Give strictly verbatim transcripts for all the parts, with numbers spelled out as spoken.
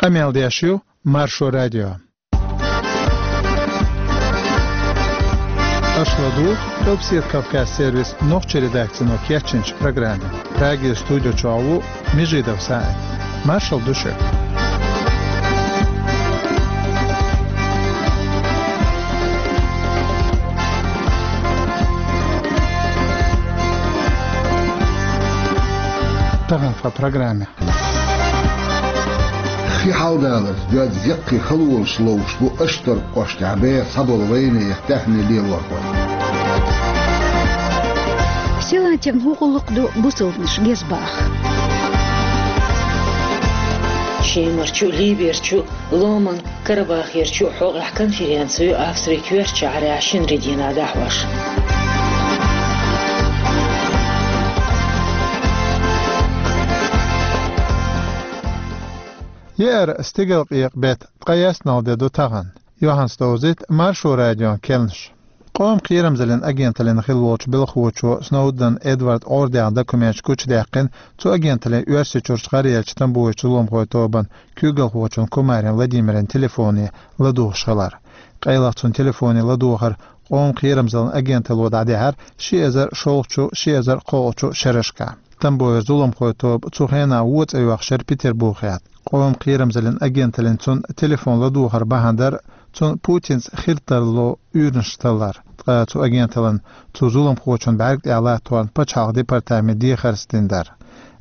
Къамел деш ю Маршо радио. Аша ладугӀу Къилбседа Кавказ сервисан нохчийн редакцино кечйинчу программе. Прагера студи чохь ву Межидов СаӀид. Маршалла ду шуьга. Тахана тхан программе. Хи хьаладаларца доьзна яккхий халонаш ловш бу Аштаркхоштахь беха цхьаболу вайнехан даьхни лелорхой. Силантикан хӀун гӀуллакх ду бусалбанаш гезбаха? Шемарчу, Либерчу, Ломан Карабахерчу хьокъехь конференци ю Австрин коьртачу шахьарехь шинарин дийнахь дӀахьош. Еара стигалкъекъа беттан ткъе ялсаманилла де ду тахана. Юьхьанца довзуьйту Маршо радион керланаш. Къоман кхерамзаллин агенталлин хилла волчу белхалочо Сноуден Эдвард Ӏордехь документаш гучудаьккхина, цу агенталлин Оьрсийчуьрчу гӀараяьллачу Тамбовчу зуламхойн тобанан куьйгалхочун Кумарин Владимиран телефоне ладугӀуш хилар. Къайлаха цуьнан телефоне ладогӀар Къоман кхерамзаллин агенталло дӀадихьар ши эзар шолгӀачу, ши эзар кхоалгӀачу шерашкахь. Тамбовера зуламхойн тоба цу хенахь вон цӀе йоьхуш яра Петарбухехь. Къоман кхерамзаллин агенталлин цуьнан телефон ладогӀар бахьана дара цунна Путинца хиртарло уьйраш таллар. Ткъа цу агенталлин цу зуламхочун бӀаьрга тӀехь латторна пачхьалкхан департаменте дехарца дина дара.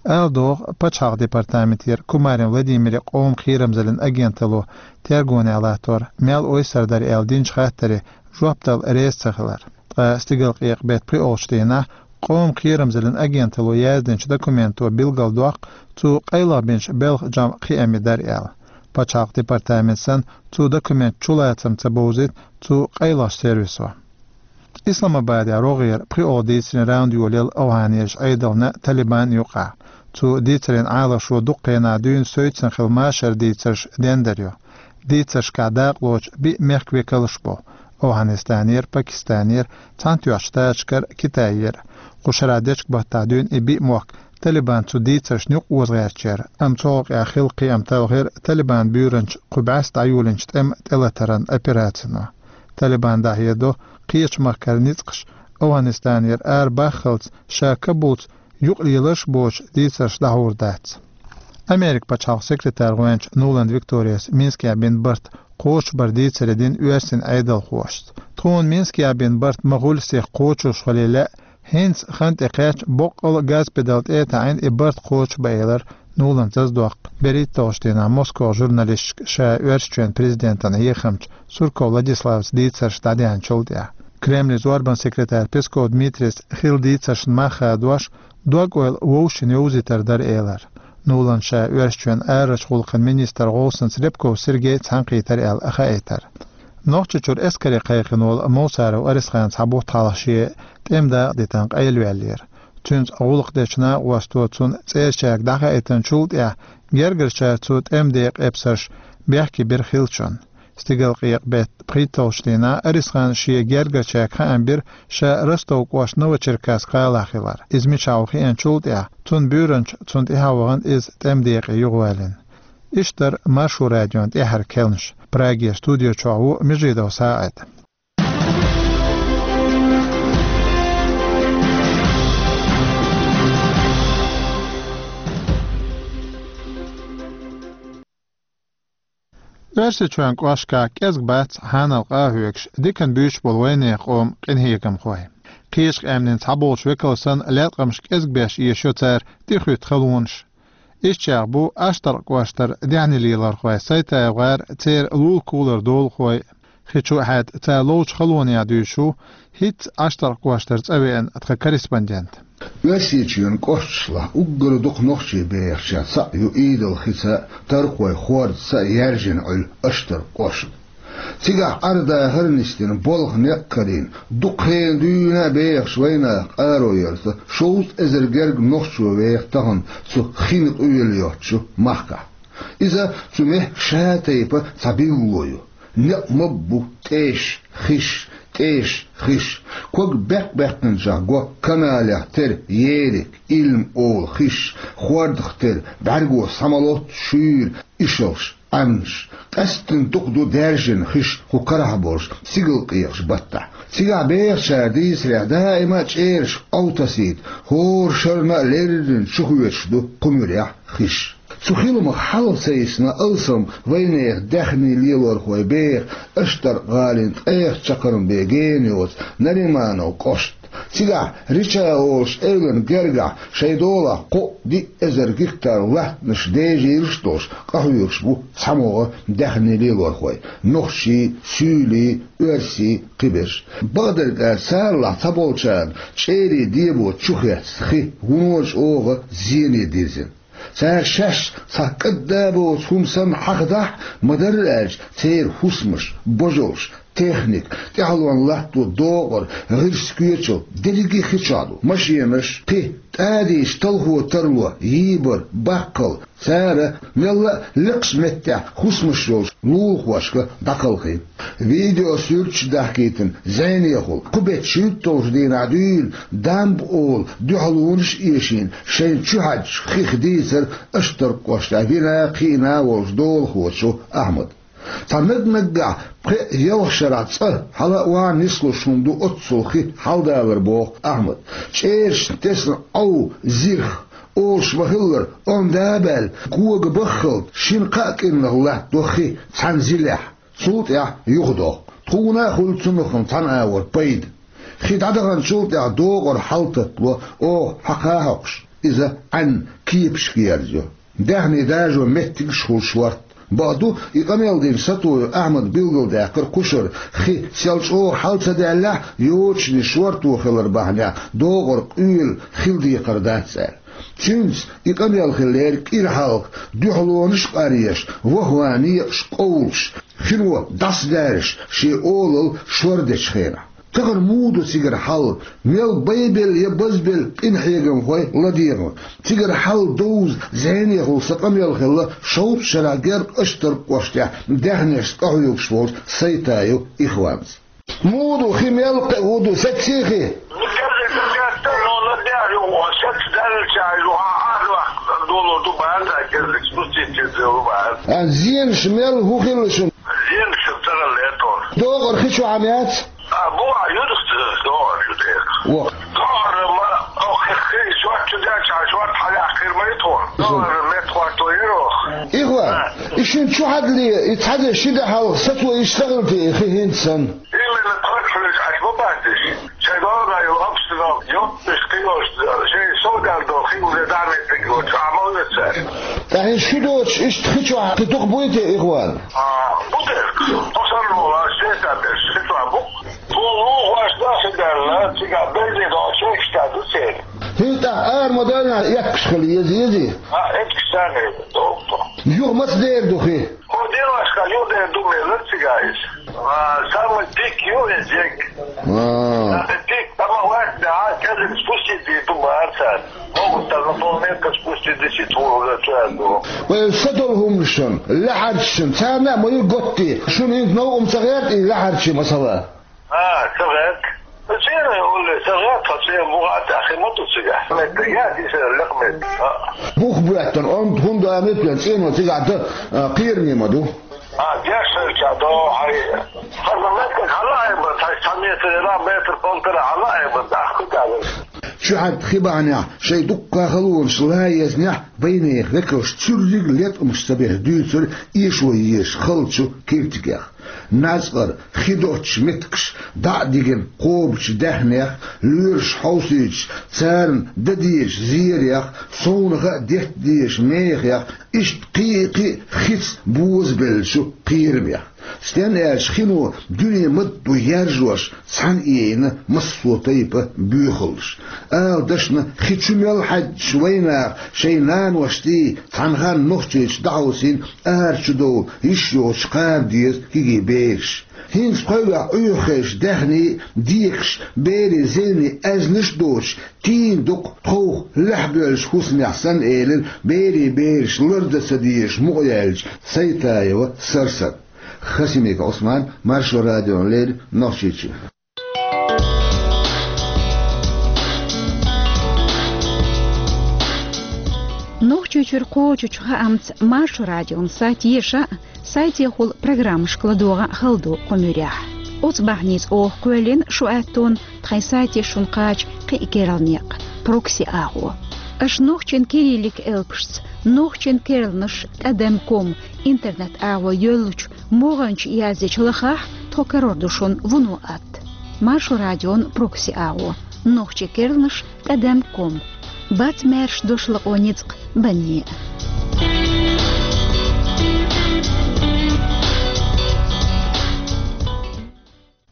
Ала догӀу, пачхьалкхан департаментера Кумарин Владимиран Къоман кхерамзаллин агенталло тергонехь латтор мел ойсар дара аьлла динчу хаттаре жоп дала реза ца хилар. Ткъа стигалкъекъа беттан пхоьалгӀачу дийнахь Къоман кхерамзаллин агенталло яздинчу документо билгалдоккху цо къайлаха бинчу белхан жамӀан кхиаммий дара аьлла. Пачхьалкхан департамент санна, цу документан чулацам ца бовзуьйту цу къайлахчу сервисо. Исламабадехь рогӀера пхоьалгӀа дийцарийн раунд йолаелла ОвхӀанерчу Ӏедална, Талибанна юкъахь. Цу дийцарийн Ӏалашо дукха хенахь дуьйна севцина хилла машаран дийцарш дендар ю. Дийцаршкахь дакъалоцу биъ мехкан векалш бу: ОвхӀанистанера, Пакистанера, Цхьаьнатоьхначу Штаташкара, Китайера. Кху шарахь дечка-баттахь дуьйна и биъ мохк Талибан цу дийцаршна юкъаоза гӀерташ яра, амма цу хьокъехь хилла кхиам талхийра Талибан буьйранча кху бӀаьста дӀайолийначу тӀеман тӀелатаран операцино. Талибан дӀахьедо, кхечу махкара ницкъаш ОвхӀанистанера арабаххалц ша Кабулца юкъалеларш а боцуш дийцарш дӀахьур дац. Америкин пачхьалкхан секретарь гӀоьнча Нуланд Викторияс Минскехь бина барт кхочушбаран дийцаре дина оьрсийн Ӏедалхошца. Тхуна Минскехь бина барт ма хуьллу сиха кхочуш хилийла, хӀинца хан тӀекхаьчча, боккъал а газпедал тӀе а таӀийна, и барт кхочушбан, элира Нуланд зазадоккху берхӀитталгӀачу дийнахь Москвахь журналисташка ша Оьрсийчоьнан президентана хьехамча Сурков Владиславца дийцарш дӀадаьхьначул тӀаьхьа. Кремлан зорбанан секретарь Песков Дмитрийс хилла дийцаршна мах хадош, дог-ойла вовшашна йовзийтар дара, элира. Нуланда ша Оьрсийчоьнан арарчу гӀуллакхийн министран гӀовсанца Рябков Сергей цхьаьнакхийтар аьлла хаийтар. Нохчийчуьра эскаре кхайкхина волу Мовсаров Арисхан цхьа бутт хьалха шен тӀеман дакъа дитина къайлаваьллера. Цуьнца гӀуллакх дечу накъосто цунна цӀерачаьрга дӀахаийтинчул тӀаьхьа гергарчара цу тӀеман декъан эпсарш бехке бира хиллачунна. Стигалкъекъа беттан пхийтталгӀачу дийнахь Арисхана шен гергарчаьрга хаам бира ша Ростов кӀоштан Новочеркасск гӀалахь хилар. Иза мичахь ву хиъначул тӀаьхьа, цуьнан буьйранча цунна тӀаьхьа вахана, иза тӀеман декъе юхаваьллина. Иштта дара Маршо радион тӀаьххьара керланаш. Прагера студи чохь ву Межидов СаӀид. Оьрсийчоьнан кӀошташкахь кӀезиг бац хьанал къа а хьоьгуш, диканна буьйцуш болу вайнехан къоман къинхьегамхой. Кхечу къаьмнийн цхьаболчу векалш санна, латкъамаш кӀезиг беш эшайо цара тӀехуьтту халонаш. Ишттачех бу Аштаркхоштара даьхни лелорхой, Сайтаев гӀар, церан лулахулара долахой. Хи чу а хьаьдда, цара ловчу халонех дуьйцуш ву хӀинцца Аштаркхоштара цӀа веана тхан корреспондент. Оьрсийчоьнан кӀошташлахь уггар дукха нохчий бехачех цхьаъ ю Идал-Хица, Тархой Хордаца яьржина Ӏуьллу Аштаркхошта. Цигахь Ӏар-дахар нисдина, болх, некъ карийна, дукха хенахь дуьйна а бехаш вайнах къаро ярца, шовзткъа эзар гергга нохчо веха тахана цу хин къоьлла йоцучу махкахь. Иза цу мехкан ша тайпа цхьа билгало ю. Некъ ма-ббу, тӀеш, хиш, тӀеш, хиш. Ког беккъ-беккъинчех го каналех тера ерриг, илма олу хиш, хордах тера, бӀаьрго схьа ма-лоццу шуьйра ишалш. Ӏаьнаш. Къаьсттина дукха ду даьржина хиш кху карахь болуш, сигала къекъаш баттахь. Цигахь бехачара дийцарехь, даима а чӀераш Ӏовтасийта, хӀора шарна а леррина чухоьцуш ду кху муьрехь хиш. Цу хиламах хьалха ца йисна алсам вайнехан даьхни лелорхой беха Аштаркх-гӀалин ткъех чаккхарма бен гена йоцу Нариманов кӀошт. Цигахь Рича олуш эвлан гергахь шайн долахь кхоъ-диъ эзар гектар латтанаш дежийраш а долуш, къахьоьгуш бу цхьамогӀа даьхни лелорхой: нохчий, суьйлий, оьрсий, кхиберш. Бакъдерг аьлча, царалахь цхьаболчарна чӀерийн дебо чухецна хи вуно чӀогӀа зене дирзина. Цара шаьш цхьа кӀадда а боцу хӀума санна хьахадахь а, ма-дарра аьлча, церан хӀусамаш, божалш, техника, тӀаьхьалонна латто докъар, гӀирс, коьчал, дерриге а хи чохь ду. Машенаш, кхин, тӀадийча талхо тарло, йийбар, баккхал. Цара мелла а лекхачу меттехь хӀусамаш йолчу лулахошка дӀакхалхийна. Видео суьрташ дахкийтина зӀенехула, кху беттан шуьйтталгӀачу дийнахь дуьйна дамба олу дуьхьалонаш а эшийна, шайна чухьаьжначу хих дийцира Аштаркх кӀоштахь вина а, кхиъна а волчу долахочо Ахьмада. Цхьа наг-наггахь пхеа-ялх шарахь цӀа хьала а, охьа а нислуш хӀума ду оццул хи хьаладалар, боху Ахьмада. ЧӀерашна тесна Ӏов, зирх, олуш ма-хиллара, онда а баьлла, кога баххалц шина-кхаа кӀирнах латтадо хи цхьана зилехь, цул тӀаьхьа юхадоху. Тхуна а хуьлу цунах цхьана агӀор пайда. Хи дӀадаханчул тӀаьхьа докъар хьалататтало, оха хьакха а хьокхуш, иза Ӏаьнан кепашка ерзайо. Даьхни дажо меттигаш а хуьлу шортта. Бакъду, и къамел дина сатуйо Ахьмада билгалдаьккхира кхушара: хи сел чӀогӀа хьала ца даьллехь, йочане шорто хилар бахьанехь докъар къоьлла хила декхар дац аьлла. Цуьнца и къамел хиллера кӀира хьалха дуьхьалонаш а къаръеш, вахван некъаш къовлуш, хино дӀасадаьржаш шен олалла шор дечу хенахь. Тахана муха ду цигара хьал? Мел байбелла я базбелла къинхьегамхой ладегӀна? Цигара хьал довза зӀенехула сан къамел хилла шовзткъа шарахь герга Аштаркх кӀоштехь даьхнешца къахьоьгуш волчу Сайтаев Ихванца. Муха ду хи, мел кхиа хӀун ду, сецций хи? Ну, керлиг ду, геттара, но ладегӀ ю, саца даьллача ю, хьан, хьан, долу ду бахьана, керлиг спустить ю, ду бахьана. А, зенаш мел хӀун хилла шуна? Зенаш ца хилла тхуна. Докъар хи чохь ма яц? А, бу а юдах докъар ю дера. Во. Докъар ма, ох, хи, хи, шорт чу деча, шорт хьалаяккхира ма ю тхуна. Докъар метта хӀотто яра оха. Ихва, а, и шуна чу хьадале, и цхьа де ши де хьалха сацо иштта хилла те, и хи хӀинца санна? Именно тхоьгахь хьуьнца Ӏаш ма бац уьш. Шайн догӀа йолу обстановка, йоццуш кхин йолуш, шайн сов даьлла долу хи уже дӀа меттиг йоцуш, а ма вуьйцу цара. Ткъа хӀинца шу доцуш иштта хи чохь кхин дукха буй те, Ихван? А, бу дерг. Тхо санна волу, шеста берш, хи чохь бу. Тхуна лулахошна хи даьлла, цигахь белле долу чу иштта ду церан. ХӀинца тӀаккха ара ма даьлла, эккаш хила еза, езий? А, эккаш царна еза, долу тхо. Юха маца дер ду хи? Хьо делахь хан юхадер ду мелар цигахь иза. А, самый пик ю иза дерг. А. Самый пик, тамах лаьцна, а, кӀезиг спустить дийр ду бахьана цара. Могут там на полметра спустить дисит хьуна уже цара ду. Вай са долу хӀуманашна, лаьхьарчашна, царна а ма ю готти. Шуна хӀинца новкъа ма ца гӀерта и лаьхьарчий масала? А, ца гӀерта. Церан улле ца гӀерта, тхо церан бухахь тӀехь хи ма ду цигахь. Меттиг яц иза, лекха меттиг. А. Бух боьттина, онда хӀунда а меттиг, цӀено цигахь дан, а, кхераме ма ду. А, геш хилча до хьай. Хаза меттиг хьала а бан, цхьа, цхьа метр, ира метр, полтора хьала а бан, тӀаккха ку тӀе. Чухьаьдда хи бахьанехь, шайн дуккха халонаш лан езнехь, вайнехан векалш цуьрриг леткъамаш ца беш дуьйцура эшо езаш халчу киртигех. НацкъӀар, хи доцчу меттигаш дӀа а дигина кхобучу даьхнех, лоьраш хьовсуьйтуш, царна дан дезачу зерех, совнаха а детта дезачу мехех, иштта кхин а кхин а хица бозабеллачу кхерамех. Стенна аьлча хино дуьне ма-дду яржош, цхьаьна а йина массо а тайпа боьхаллаш. Ала дашна, хи чу мел хьаьддаш вайнаха шайн наношций, цхьана ханна Нохчийчу дӀахьовсийна, ара чу довла йиш йоцуш кхаба деза кегий бераш. ХӀинца пхьоьгахь Ӏуьйххеш даьхний а, декаш, берийн зевний аьзнаш а доцуш, тийна дукха тховх лаьхьабоьллачу хӀусамехь санна, элира берийн бераш лардан ца дезаш мукъаяьллачу Сайтаева Сарсана. Хасимиков Ӏусман, Маршо радиона леррина, Нохчийчоь. Чуьйчуьра кхочучу хаамца Маршо радион сайт еша а, сайтехула программашка ладогӀа а хала ду кху муьрехь. Оцу бахьаница оха кхоьллина шу аьттон тхайн сайте шуна кхача кхин а керла некъ, прокси агӀо. Аша нохчийн кириллик элпашца, нохчийн керланаш тӀадам ком интернет агӀо йоьллучу могӀанчу яздечу лахахь тхо карор ду шуна вуно атта. Маршо радион прокси агӀо, нохчийн керланаш тӀадам ком. Бац маьрша дош лакъо ницкъ банне.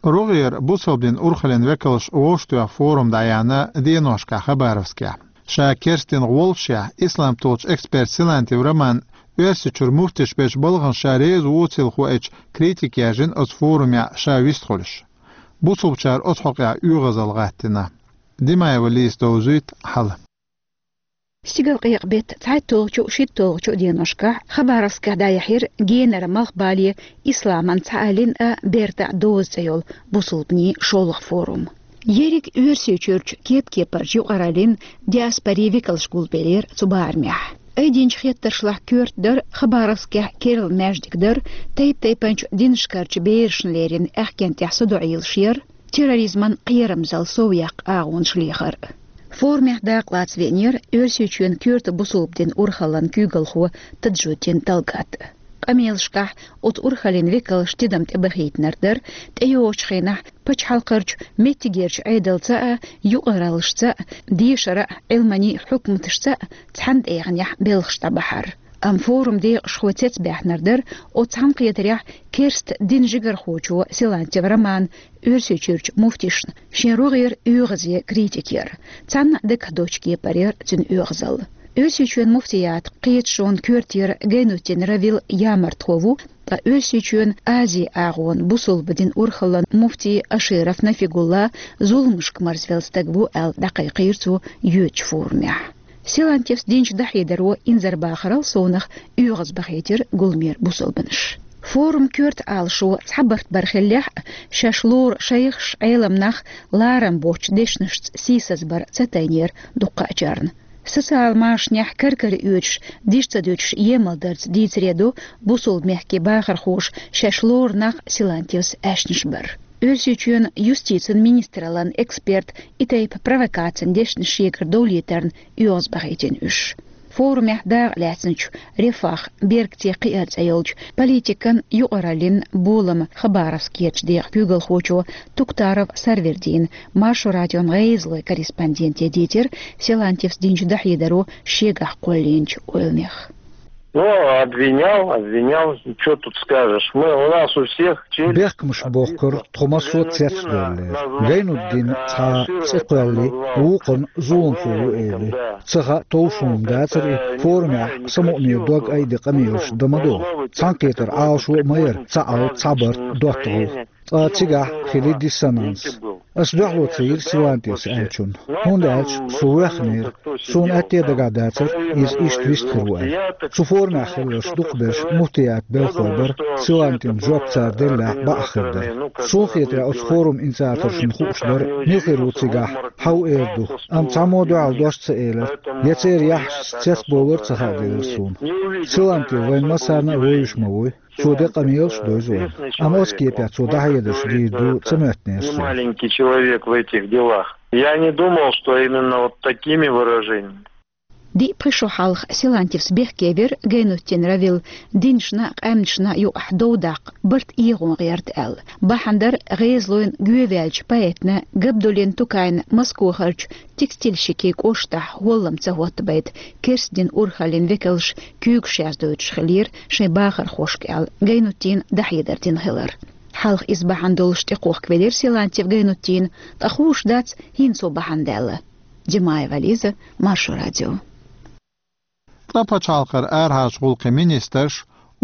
РогӀера бусалба дин урхаллин векалш вовшахтоьхна форум дӀаяьхьна деношкахь Хабаровскехь. Ша керстдин гӀоллашехь, ислам толлучу эксперт Силантьев Роман Оьрсийчуьра муфтиш бечу балхана ша реза вуцийла хоуьйту критика яьржина оцу форумехь ша вистхуьлуш. Бусалбачара оцу хьокъехь оьгӀазалла гӀаттийна. Димаева Лиза довзуьйту хьала. Стигалкъекъа беттан цхьайтталгӀачу, шийтталгӀачу деношкахь Хабаровскехь дӀаяьхьира генара малхбале исламан цхьааллин а, бертан а доза цӀе йолу бусалбанийн шолгӀа форум. Ерриг Оьрсийчуьрчу кеп-кепарчу юкъараллин, диаспорин векалш гулбеллера цу барамехь. Айдинчу хеттаршлахь коьрта дара Хабаровскехь керла маьждиг дар, тайп-тайпанчу динашкарчу берашна леррина аьхкенна тӀехь садоӀийлаш яр, терроризман кхерамзалла совъяккха агӀонаш лехар. Форумехь дакъалаца веанера Оьрсийчоьнан коьрта бусалба дин урхаллан куьйгалхо Таджуддин Талгат. Къамелашкахь оцу урхаллин векалша тидам тӀебахийтинарг дара, тӀейогӀучу хенахь пачхьалкхерчу меттигерчу Ӏедалца а, юкъараллашца а, дешара а, Ӏилманийн а хьукматашца а цхьана тӀегӀанехь белхаш дӀабахьар. Амма форум декъашхой цецбаьхнарг дара оцу цхьаьнакхетарехь керста динан жигархочо Силантьев Романа Оьрсийчуьрчу муфтишна шен рогӀера оьгӀазе критика яр. Цхьанна а дагахь доцчу кепара яр цуьнан оьгӀазалла. Оьрсийчоьнан муфтиятан кхеташонан коьртера Гайнутдин Равил ямартхо ву, ткъа Оьрсийчоьнан Азин агӀонан бусалба дин урхаллан муфти Аширов Нафигулла зуламашка марзвелла стаг ву аьлла дӀакхайкхийра цо йоьдучу форумехь. Силантьевс динчу дӀахьедаро инзарбахарал совнах оьгӀазбахийтира гуламера бусалбанаш. Форум коьрта Ӏалашо цхьабарт бар хиллехь а, шаьш лору шайхаш, Ӏеламнах ларам боцчу дешнашца сийсазбар ца тайнера дуккхаъчарна. Социал машанехь кар-кара оьцуш, дижа ца дуьтуш емалдарца дийцаре ду бусалба мехкийн бахархоша шаьш лору нах Силантьевс аьшнаш бар. Оьрсийчоьнан юстицин министраллан эксперт и тайпа провокацин дешнаш шегара довлийтарна оьгӀазбахийтина уьш. Форумехь дакъа лаьцначу «Рефах, бергте кхиар» цӀе йолчу политикан, юкъараллин, болама Хабаровскерчу декъан куьйгалхочо Туктаров Сарвердина Маршо радион гӀезалойн корреспонденте дийцира Силантьевс динчу дӀахьедаро шегахь кхоллийначу ойланех. Ну, обвинял, обвинял, что тут скажешь? Мы, у нас у всех челюсть... Бехкамаш бохкура, тхо массо а цецдевллера. Гайнутдина цхьа цӀе кхоьллий, вукхунна зуламхо ву элий. Ца хаьа, товш хӀума дацара и, форумехь самукъане дог айде къамелаш дан ма ду. Цхьаьнакхетар Ӏалашо а ма яра, цхьа Ӏалт, цхьа барт, доттагӀалла. Ткъа цигахь хили диссонанс. Ас дуьхьало ца йира Силантьевс аьллачунна, хӀунда аьлча со воьхнера. Суна аьтто дагахь дацара иза иштта вист хир ву аьлла. Цу форумехь хилларш дукхахберш муфтиятан белхалой бара, Силантьевна жоп цара деллехь бакъахь хир дара. Суна хетарехь, оцу форуман инициаторшна хууш дара, мила хир ву цигахь, хьан ву эр ду. Амма цхьаммо а дуьхьал дош ца элира, я церан яххьашца цецбовлар а ца хаьдира суна. Силантьев вайн массарна а вевзаш ма вуй. Цо декъа мелаш дойзу вайн. Амма оцу кепехь цо дӀахьедарш дийр ду ца моьттинера суна. Маленький человек в этих делах. Я не думал, что именно вот такими выражениями. Диъ-пхи шо хьалха Силантьевс бехке вира Гайнутдин Равил динашна а, къаьмнашна а юкъахь дов даккха барт эгӀон гӀерта аьлла. Бахьана дара гӀезалойн гӀоьваьллачу поэтна Габдуллин Тукайна Москохарчу текстильщикийн кӀоштахь гӀоллам ца хӀоттабайта керста дин урхаллин векалш куьйгаш яздойтуш хиллера шайн бахархошка аьлла, Гайнутдина дӀахьедар дина хилар. Хьалха иза бахьана долуш тӀекхохкавелира Силантьев Гайнутдин, ткъа хууш дац хӀинца цо бахьана даьлла. Димаева Лиза, Маршо радио. Ткъа пачхьалкхера арахьарчу гӀуллакхийн министрш,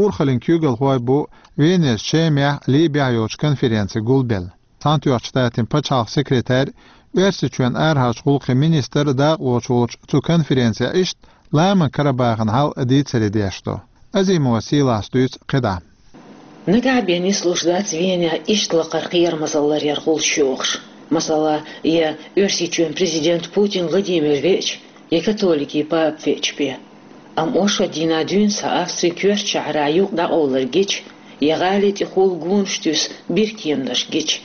урхаллин куьйгалхой бу Венера Чемехь, Либехь йолчу конференци гулбелла. Цхьаьнатоьхначу Штатийн пачхьалкхан секретарь, Оьрсийчоьнан арахьарчу гӀуллакхийн министр дакъалоцуш волчу цу конференцехь иштта Ламан Карабахана хьал дийцаре деш ду. Азимова Сийлас дуьйцу кхидӀа. Нагахь бен нислуш дац Венехь иштта лакхара кхерамазалла ларъяр гӀулч йохуш. Масала, я Оьрсийчоьнан президент Путин Владимир веача, я католикийн папа веача бен. Амма оршот дийнахь дуьйна схьа Австрин коьртачу шахьарахь юкъа дӀакъовлар гича, я гӀали тӀехула гонаш туьйсу биркеманаш гича,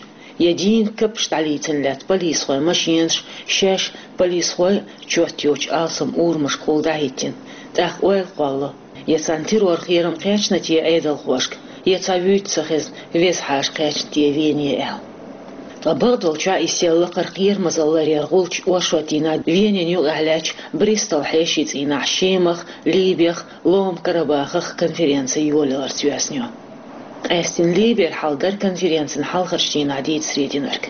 я дийнан капаш дӀалийцина лаьтта полисхойн машенаш шаьш полисхой чот йоцучу алсам урамашкахула дӀахӀиттина, тӀаккха ойла кхоллало, я царна террор-кхерам кхаьчна те Ӏедалхошка, я цхьа вуьйцу ца хезна веза хьаша кхаьчна те Вене аьлла. Ткъа бакъдолчохь и сел лакхара кхерамазалла ларъяран гӀулч оршот дийнахь Венин юкъахь лаьттачу Бристол хьешийн цӀийнахь Шемах, Либех, Ломан Карабахах конференци йолаяларца йоьзна ю. Къаьстина Либера хьал дара конференцин хьалхарчу дийнахь дийца срединарг.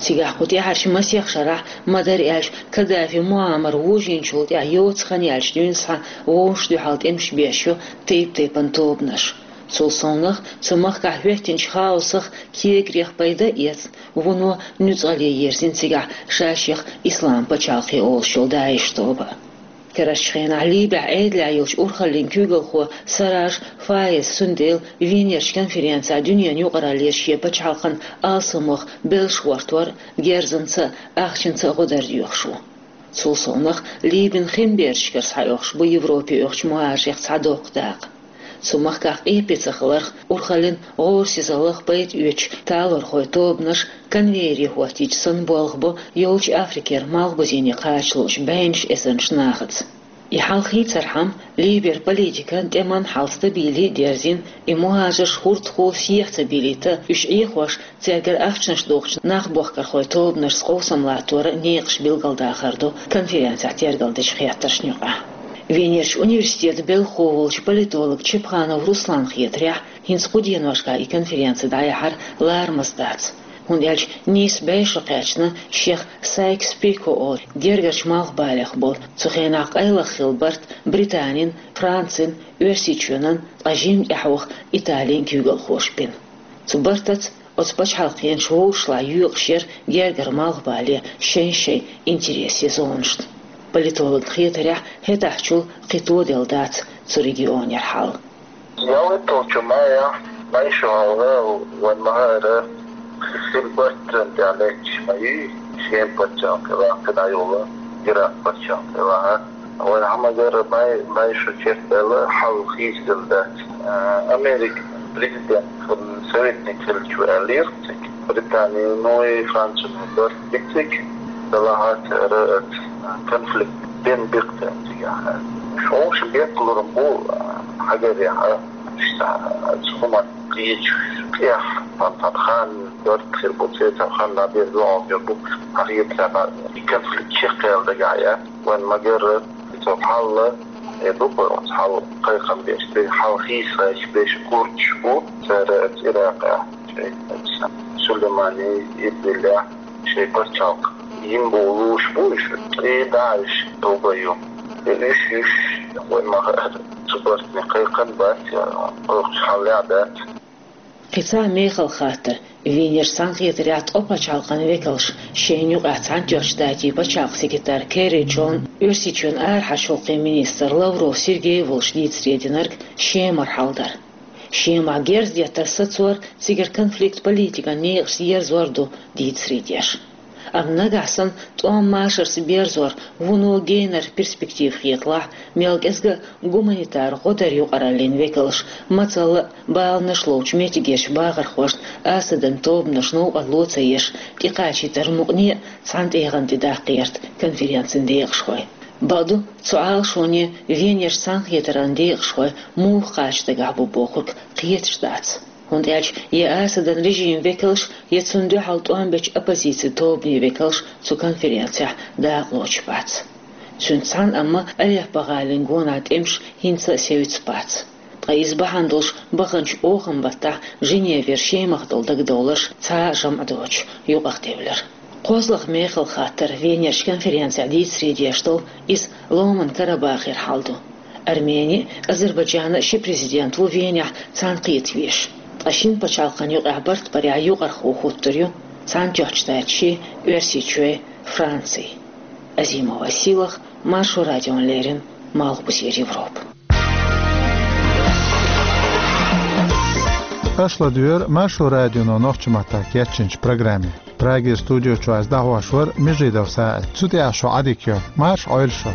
Цигахь кху тӀаьхьарчу масех шарахь, ма-дарра аьлча, Каддафи Муаммар вожийначул тӀаьхьа йоцу хан яьлча дуьйна схьа вовшашна дуьхьал тӀемаш беш ю тайп-тайпана тобанаш. Цул совнах, цу махкахь хӀоьттинчу хаосах, кегарех пайда а эцна, вуно нуьцкъала ерзийна цигахь ша-шех Ислам пачхьалкхе олуш йолу ДАИШ тоба. Карарчу хенахь Либехь Ӏедалехь йолчу урхаллин куьйгалхо Сараж Фаез цундела Венерчу конференцехь дуьненан юкъараллера шен пачхьалкхан алсамох белш гӀортор а, герзанца а, ахчанца а гӀо дар доьхуш ву. Цул совнах, Либин хин бердашкара схьаоьхуш бу Европе оьхучу мухӀажарех цхьа доккха дакъа. Цу махкахь къепе ца хиларх, урхаллин гӀорасизаллах пайда оьцуш талорхойн тобанаш конвейере хӀоттийча санна болх бо йолчу Африкера малхбузене кхача луучу бӀеннаш эзарнаш нахаца. И хьал хийцархьама, Либера политикан, тӀеман хьал стабиле а дерзийна, и мухӀажарш хӀордахула сехьа ца бийлийта, уьш Ӏехош, цаьргара ахчанаш дохучу нах бохкархойн тобанашца къовсам латтор а некъаш билгалдахар ду конференцехь тергалдечу хеттаршна юкъахь. Венерчу университетан белхахо волчу политолог Чепханов Русланна хетарехь, хӀинца кху деношкахь и конференци дӀаяхьар ларамаза дац, хӀунда аьлча нийса бӀе шо кхаьчна шех Сайкс-Пико олу гергарчу малхбалех болу, цу хенахь къайлаха хилла барт Британин, Францин, Оьрсийчоьнан, ткъа жимма тӀаьхьа ваха Италин куьйгалхоша бина. Цу бартаца оцу пачхьалкхенаша вовшашлахь йоькъуш яра гергара малхбале шайн-шайн интересийн зонашна. Политологна хетарехь, хӀетахьчул кхин тоделла дац цу регионера хьал. ЯлхитталгӀачу майахь, майшо хьалха вайн ма-хаъара, хин барт тӀехь лаьтташ ма юй, Шема пачхьалкх тӀе ваха, кхидӀа йолу Иракъ пачхьалкх тӀе ваха. Вайн хьамагара май, майшо чекхбаьлла хьал хийцаделла дац. А, Американ президентан советник хилча аьллера цига, Британино и Францино барт би цига, делахь а цара оцу конфликт бен бекхтан цигахь. Шоша бекхлур бу, хьагарехь, иштта, оцу хӀуманна кхечу тӀехь, цхьана хан барт хир бу, цецан хан дӀабер дуьхьал хир бу, хьан хетарехь, и конфликт чекхъяла дагахь яц. Вайн ма-гарра, цо хьалла, э, ду-кх оцу хьал кхайкхам беш, тӀе хьал хийца гӀерташ беш курдаш бу, цара оцу Иракъехь, шайн оцу Сулеймани Ирбилехь, шайн пачхьалкх йина бовлуш бу уьш, и ДАИШ тоба ю. И уьш, уьш, вайн ма-хаъара, цу бартана кхайкхам бац, я кхойкхуш хьал а дац. Кхин цхьа мехала хаттар. Венерчу цхьаьнакхетарехь ткъа пачхьалкхан векалш, шайна юкъахь Цхьаьнатоьхначу Штатийн пачхьалкхан секретарь Керри Джон, Оьрсийчоьнан арахьарчу гӀуллакхийн министр Лавров Сергей волуш дийцаре динарг, Шемара хьал дара. Шемахь герз деттар сацор, цигара конфликт политикан некъашца ерзор ду дийцаре деш. Амма нагахь санна тӀом машарца берзор вуно генара перспектива хеталахь, мел кӀезга а гуманитар гӀо даран юкъараллин векалш, мацалла а баланаш ловчу меттигерчу бахархошна Асадан тобанаш новкъарло ца еш, тӀекхачийтаран мукъане а цхьана тӀегӀан тӀе даккха гӀерта конференцин декъашхой. Бакъду, цу Ӏалашоне Венерчу цхьаьнакхетаран декъашхой муха кхача дагахь бу бохург кхеташ дац. ХӀунда аьлча я Асадан режиман векалш, я цунна дуьхьал тӀом бечу оппозицин тобанийн векалш цу конференцехь дакъалоцуш бац. Цуьнца цхьаьна амма Алеппо-гӀалин гонахь тӀемаш хӀинца а севцаш бац. Ткъа иза бахьана долуш баханчу оханан баттахь Женевера Шемах долу дагадовларш цхьа а жамӀ доцуш юкъахдевлира. КхозлагӀа мехала хаттар Венерчу конференцехь дийцаре деш долу, иза Ломан Карабахера хьал ду. Армени а, Азербайджан а ши президент ву Венехь цхьаьнакхета везаш. Ткъа шина пачхьалкхан юкъахь барт барехь юкъархо хӀуттур ю Цхьаьнатоьхначу Штаташи, Оьрсийчои, Франци. Азимова Сийлаха, Маршо радиона леррина, Малхбузера Европа. Аша ладуьйгӀира Маршо радионо нохчийн маттахь кечйинчу программе. Прагера студи чуьра аса дӀахьош вара Межидов СаӀид. Цу тӀехь шун Ӏадика йойла. Марша Ӏойла шу.